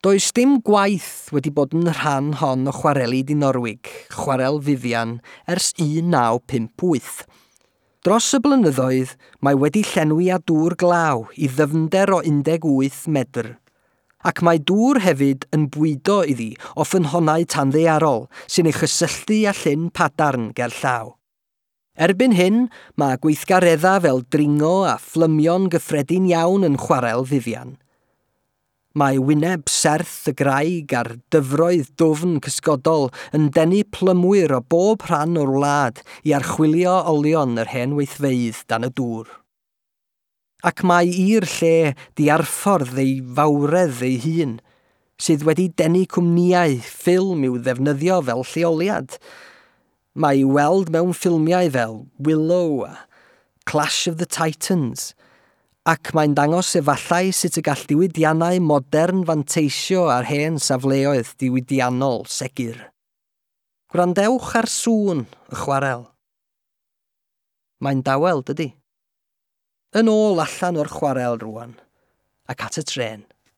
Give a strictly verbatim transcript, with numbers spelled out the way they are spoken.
Does dim gwaith wedi bod yn rhan hon o chwareli Dinorwig, chwarel Vivian, ers un naw pump wyth. Dros y blynyddoedd, mae wedi llenwi â dŵr glaw i ddyfnder o un deg wyth medr. Ac mae dŵr hefyd yn bwydo iddi o ffynhonnau tanddaearol sy'n ei chysylltu â llyn Padarn ger llaw. Erbyn hyn, mae gweithgareddau fel dringo a phlymio'n gyffredin iawn yn chwarel Vivian. Mae wyneb serth y graig a'r dyfroedd dwfn cysgodol yn denu plymwyr o bob rhan o'r wlad i archwilio olion yr hen weithfeydd dan y dŵr. Ac mae i'r lle diarffordd ei fawredd ei hun, sydd wedi denu cwmnïau ffilm i'w ddefnyddio fel lleoliad. Mae i'w weld mewn ffilmiau fel Willow a Clash of the Titans, ac mae'n dangos efallai sut y gall diwydiannau modern fanteisio ar hen safleoedd diwydiannol segur. Gwrandewch ar sŵn y chwarel. Mae'n dawel, dydy? Yn ôl allan o'r chwarel rwan, ac at y trên.